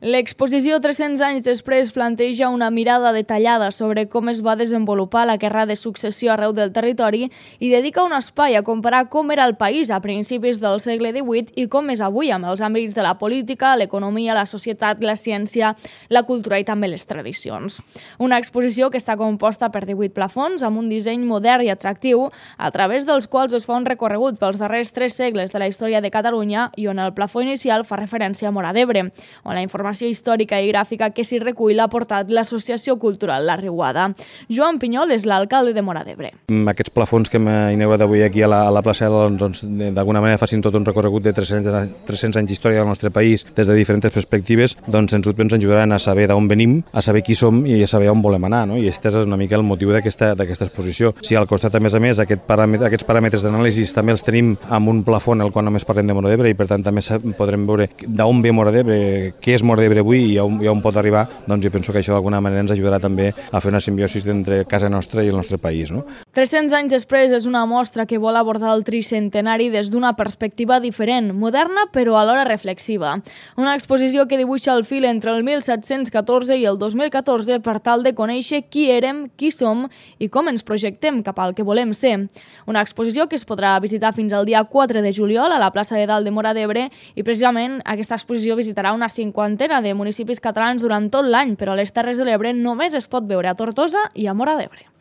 L'exposició 300 anys després planteja una mirada detallada sobre com es va desenvolupar la guerra de successió arreu del territori i dedica un espai a comparar com era el país a principis del segle XVIII i com és avui amb els àmbits de la política, l'economia, la societat, la ciència, la cultura i també les tradicions. Una exposició que està composta per 18 plafons amb un disseny modern i atractiu, a través dels quals es fa un recorregut pels darrers 3 segles de la història de Catalunya i on el plafó inicial fa referència a Móra d'Ebre, on la informació històrica i gràfica que s'hi recull l'ha portat l'Associació Cultural La Riuada. Joan Pinyol és l'alcalde de Móra d'Ebre. Aquests plafons que hem inaugurat avui aquí a la plaça doncs, d'alguna manera facin tot un recorregut de 300 anys d'història del nostre país des de diferents perspectives, doncs ens ajudaran a saber d'on venim, a saber qui som i a saber on volem anar, no? I aquest és una mica el motiu d'aquesta exposició. Si al costat, a més, aquests paràmetres d'anàlisi també els tenim amb un plafó en el qual només parlem de Móra d'Ebre i per tant també podrem veure d'on ve Móra d'Ebre, què és Móra d'Ebre avui i on pot arribar, doncs jo penso que això d'alguna manera ens ajudarà també a fer una simbiosi entre casa nostra i el nostre país, no? 300 anys després és una mostra que vol abordar el tricentenari des d'una perspectiva diferent, moderna però alhora reflexiva. Una exposició que dibuixa el fil entre el 1714 i el 2014 per tal de conèixer qui érem, qui som i com ens projectem cap al que volem ser. Una exposició que es podrà visitar fins al dia 4 de juliol a la plaça de Dalt de Móra d'Ebre i precisament aquesta exposició visitarà una cinquantena de municipis catalans durant tot l'any, però a les Terres de l'Ebre només es pot veure a Tortosa i a Móra d'Ebre.